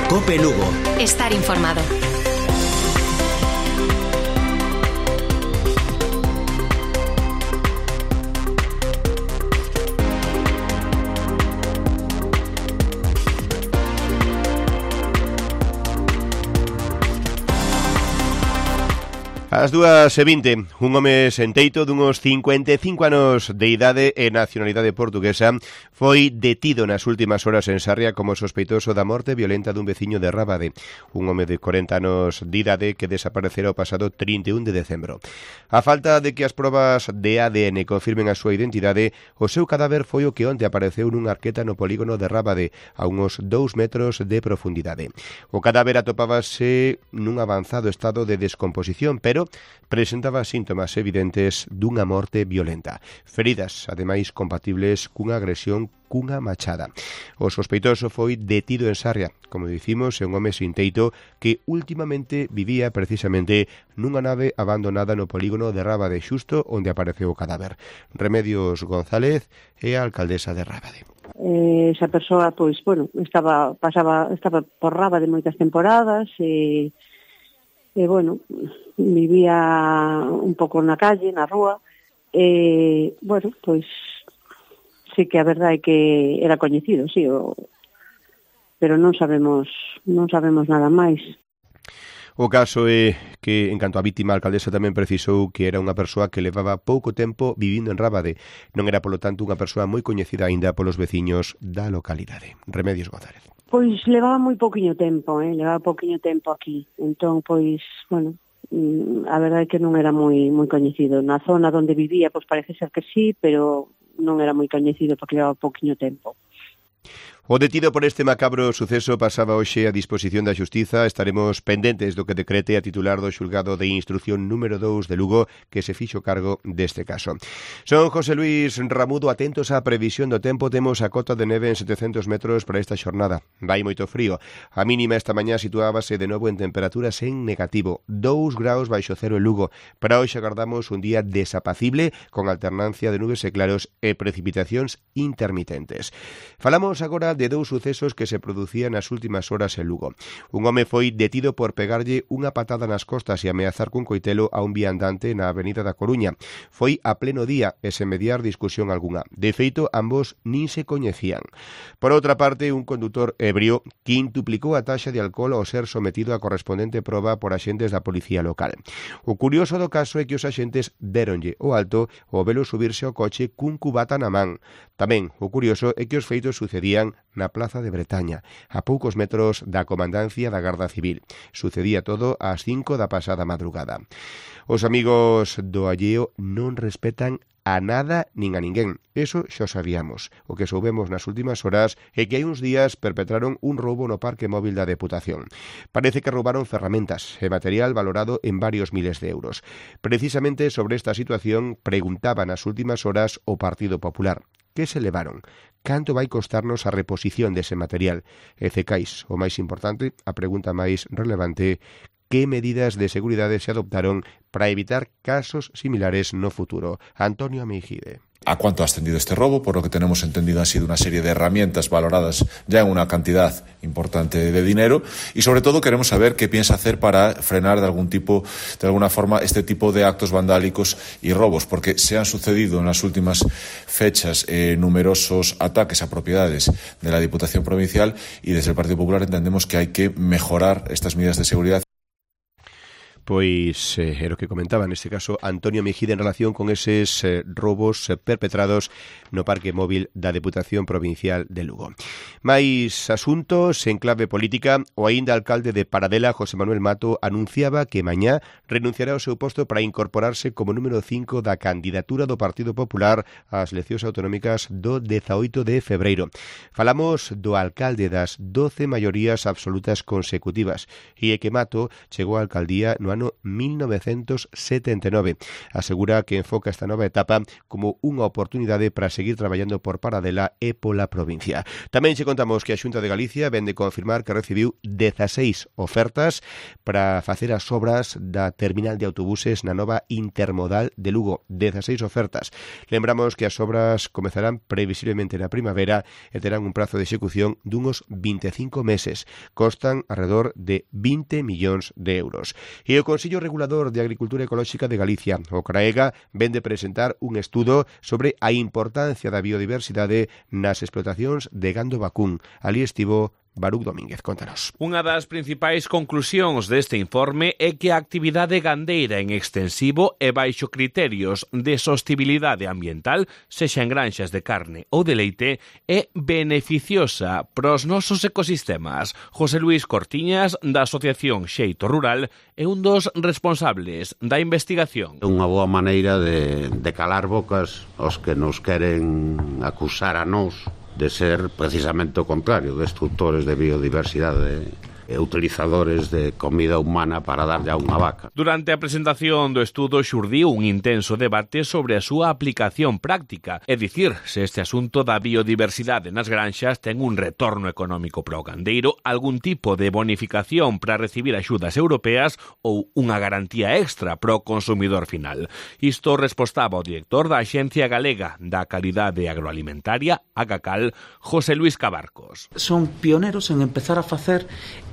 COPE Lugo. Estar informado. Ás 2:20, un home senteito dunhos 55 anos de idade e nacionalidade portuguesa foi detido nas últimas horas en Sarria como sospeitoso da morte violenta dun veciño de Rábade, un home de 40 anos de idade que desaparecera o pasado 31 de decembro. A falta de que as probas de ADN confirmen a súa identidade, o seu cadáver foi o que onte apareceu nunha arqueta no polígono de Rábade, a uns 2 metros de profundidade. O cadáver atopábase nun avanzado estado de descomposición, pero presentaba síntomas evidentes dunha morte violenta. Feridas, ademais, compatibles cunha agresión cunha machada. O sospeitoso foi detido en Sarria, como dicimos, é un home sin teito que últimamente vivía precisamente nunha nave abandonada no polígono de Rábade, xusto onde apareceu o cadáver. Remedios González é a alcaldesa de Rábade. Esa persoa, pois, bueno, estaba por Rábade moitas temporadas e bueno, vivía un pouco na calle, na rúa, bueno, pois sí que a verdade é que era coñecido, sí, pero non sabemos nada máis. O caso é que, en canto a vítima, a alcaldesa tamén precisou que era unha persoa que levaba pouco tempo vivindo en Rábade. Non era, polo tanto, unha persoa moi coñecida aínda polos veciños da localidade. Remedios González. Pois levaba moi pouquiño tempo, aquí. Entón, pois, bueno, a verdade é que non era moi coñecido. Na zona onde vivía, pois parece ser que sí, pero non era moi coñecido porque levaba pouquiño tempo. O detido por este macabro suceso pasaba hoxe a disposición da Xustiza. Estaremos pendentes do que decrete a titular do xulgado de instrucción número 2 de Lugo, que se fixo cargo deste caso. Son José Luis Ramudo, atentos á previsión do tempo. Temos a cota de neve en 700 metros para esta xornada. Vai moito frío. A mínima esta mañá situábase de novo en temperaturas en negativo, 2 graus baixo cero en Lugo. Para hoxe agardamos un día desapacible, con alternancia de nubes e claros e precipitacións intermitentes. Falamos agora de dous sucesos que se producían nas últimas horas en Lugo. Un home foi detido por pegarlle unha patada nas costas e ameazar cun coitelo a un viandante na avenida da Coruña. Foi a pleno día e sen mediar discusión algunha. De feito, ambos nin se coñecían. Por outra parte, un condutor ebrio quintuplicou a taxa de alcohol ao ser sometido a correspondente proba por axentes da policía local. O curioso do caso é que os axentes déronlle o alto ao velo subirse ao coche cun cubata na man. Tamén, o curioso é que os feitos sucedían na Plaza de Bretaña, a poucos metros da comandancia da Garda Civil. Sucedía todo ás 5 da pasada madrugada. Os amigos do alleo non respetan a nada nin a ninguén. Eso xa sabíamos. O que soubemos nas últimas horas é que hai uns días perpetraron un roubo no parque móvil da Deputación. Parece que roubaron ferramentas e material valorado en varios miles de euros. Precisamente sobre esta situación preguntaba nas últimas horas o Partido Popular. Que se levaron? Canto vai costarnos a reposición dese material? E cecais, o máis importante, a pregunta máis relevante, que medidas de seguridade se adoptaron para evitar casos similares no futuro? Antonio Mejide. ¿A cuánto ha ascendido este robo? Por lo que tenemos entendido han sido una serie de herramientas valoradas ya en una cantidad importante de dinero y sobre todo queremos saber qué piensa hacer para frenar de alguna forma este tipo de actos vandálicos y robos, porque se han sucedido en las últimas fechas numerosos ataques a propiedades de la Diputación Provincial y desde el Partido Popular entendemos que hay que mejorar estas medidas de seguridad. Pois era o que comentaba neste caso Antonio Mejide en relación con eses robos perpetrados no parque móvil da Deputación Provincial de Lugo. Mais asuntos en clave política, o aínda alcalde de Paradela, José Manuel Mato, anunciaba que mañá renunciará ao seu posto para incorporarse como número 5 da candidatura do Partido Popular ás eleccións autonómicas do 18 de febreiro. Falamos do alcalde das 12 maiorías absolutas consecutivas e é que Mato chegou á alcaldía no ano ano 1979. Asegura que enfoca esta nova etapa como unha oportunidade para seguir traballando por Paradela e pola provincia. Tamén che contamos que a Xunta de Galicia vende confirmar que recibiu 16 ofertas para facer as obras da terminal de autobuses na nova intermodal de Lugo. 16 ofertas. Lembramos que as obras comezarán previsiblemente na primavera e terán un prazo de execución dunhos 25 meses. Costan alrededor de 20 millóns de euros. E o Consello Regulador de Agricultura Ecolóxica de Galicia, o CRAEGA, vende presentar un estudo sobre a importancia da biodiversidade nas explotacións de gando vacún. Ali estivo Baruch Domínguez, contanos. Unha das principais conclusións deste informe é que a actividade gandeira en extensivo e baixo criterios de sostibilidade ambiental, sexa en granxas de carne ou de leite, é beneficiosa pros nosos ecosistemas. José Luis Cortiñas, da Asociación Xeito Rural, é un dos responsables da investigación. É unha boa maneira de calar bocas aos que nos queren acusar a nós de ser precisamente o contrario, destructores de biodiversidade e utilizadores de comida humana para darlle a unha vaca. Durante a presentación do estudo xurdiu un intenso debate sobre a súa aplicación práctica, é dicir, se este asunto da biodiversidade nas granxas ten un retorno económico para o gandeiro, algún tipo de bonificación para recibir axudas europeas ou unha garantía extra para o consumidor final. Isto respostaba o director da Axencia Galega da Calidade Agroalimentaria, AGACAL, José Luis Cabarcos. Son pioneros en empezar a facer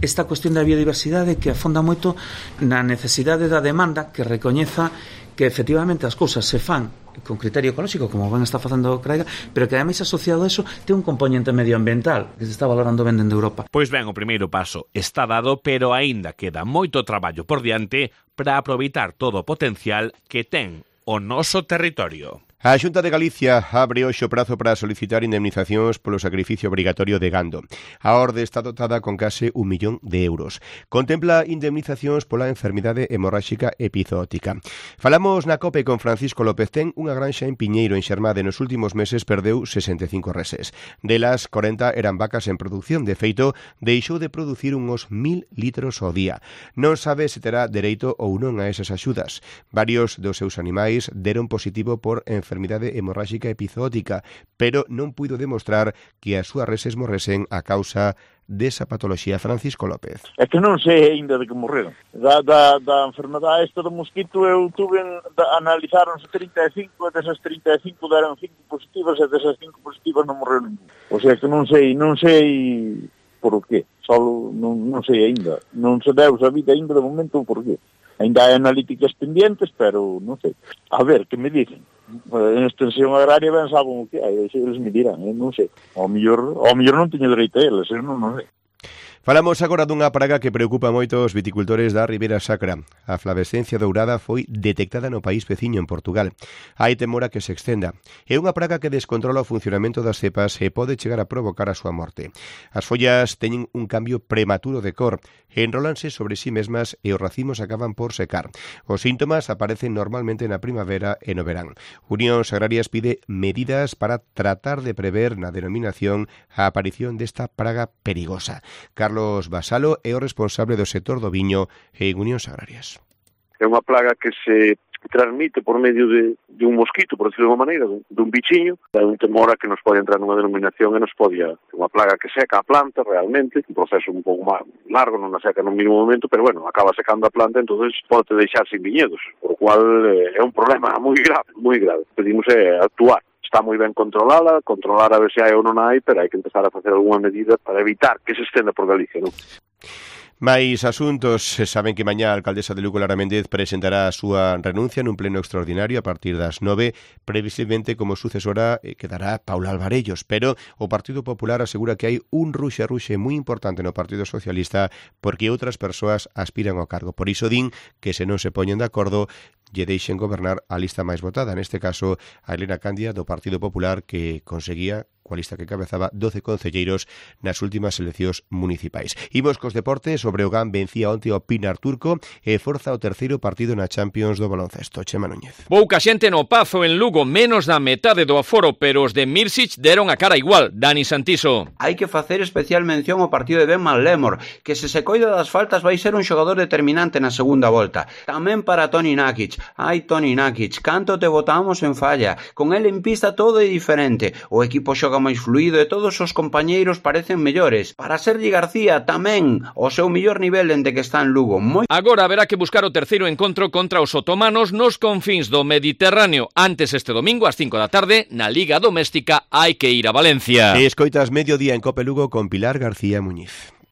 esta cuestión da biodiversidade que afonda moito na necesidade da demanda que recoñeza que efectivamente as cousas se fan con criterio ecolóxico, como ben está facendo o CRAEGA, pero que ademais asociado a eso ten un componente medioambiental que se está valorando ben dende Europa. Pois ben, o primeiro paso está dado, pero aínda queda moito traballo por diante para aproveitar todo o potencial que ten o noso territorio. A Xunta de Galicia abre hoxe o prazo para solicitar indemnizacións polo sacrificio obrigatorio de gando. A orde está dotada con case 1 millón de euros. Contempla indemnizacións pola enfermidade hemorráxica epizootica. Falamos na COPE con Francisco López. Ten unha granxa en Piñeiro, en Xermade. Nos últimos meses perdeu 65 reses. Delas, 40 eran vacas en produción. De feito, deixou de producir uns 1000 litros ao día. Non sabe se terá dereito ou non a esas axudas. Varios dos seus animais deron positivo por enfermidade hemorráxica epizootica, pero non puido demostrar que as súas reses morresen a causa desa patoloxía. Francisco López. É que non sei ainda de que morreron. Da enfermedade esta do mosquito eu tuve, analizáronse 35, e desas 35 deron 5 positivas e desas 5 positivas non morreron ningún. O sea que non sei por qué. Solo non sei ainda. Non se deu sabido ainda de momento por qué. Ainda hai analíticas pendientes, pero non sei. A ver, que me dicen? En extensión agraria ben saben o que hai, eles me dirán, non sei. Ao mellor non teño dereito a eles, non sei. Falamos agora dunha praga que preocupa moito os viticultores da Ribeira Sacra. A flavescencia dourada foi detectada no país veciño, en Portugal. Hai temor a que se extenda. É unha praga que descontrola o funcionamento das cepas e pode chegar a provocar a súa morte. As follas teñen un cambio prematuro de cor, enrólanse sobre sí mesmas e os racimos acaban por secar. Os síntomas aparecen normalmente na primavera e no verán. Unións Agrarias pide medidas para tratar de prever na denominación a aparición desta praga perigosa. Carlos Basalo é o responsable do sector do viño en Unións Agrarias. É unha plaga que se transmite por medio de un mosquito, por decirlo de unha maneira, dun bichiño. É un temor a que nos pode entrar nunha denominación e nos pode... unha plaga que seca a planta realmente, un proceso un pouco máis largo, non a seca no mínimo momento, pero bueno, acaba secando a planta, entonces pode deixar sin viñedos, por lo cual é un problema moi grave, moi grave. Pedimos actuar. Está moi ben controlar a ver se hai ou non hai, pero hai que empezar a facer algunha medida para evitar que se estenda por Galicia, non? Mais asuntos, saben que mañá a alcaldesa de Lugo, Lara Méndez, presentará a súa renuncia nun pleno extraordinario a partir das 9, previsiblemente como sucesora quedará Paula Alvarellos, pero o Partido Popular asegura que hai un ruxe moi importante no Partido Socialista porque outras persoas aspiran ao cargo. Por iso din que se non se poñen de acordo lle deixen gobernar a lista máis votada, neste caso a Elena Candia do Partido Popular, que conseguía coa lista que cabezaba 12 concelleiros nas últimas eleccións municipais. Imos cos deportes. O Breogán vencía onte ao Pinar Turco e forza o terceiro partido na Champions do baloncesto. Chema Núñez. Pouca xente no Pazo en Lugo, menos da metade do aforo, pero os de Mirsic deron a cara igual. Dani Santiso. Hai que facer especial mención ao partido de Ben Mallemor, que se coida das faltas vai ser un xogador determinante na segunda volta. Tamén para Toni Nakic. Ai, Toni Nakic, canto te botamos en falla. Con ele en pista todo é diferente. O equipo xoga máis fluido e todos os compañeiros parecen mellores. Para Sergi García tamén o seu mellor nivel dende que está en Lugo. Agora haberá que buscar o terceiro encontro contra os otomanos nos confíns do Mediterráneo. Antes este domingo ás 5 da tarde, na Liga Doméstica hai que ir a Valencia. Escoitas Mediodía en Cope Lugo con Pilar García Muñiz.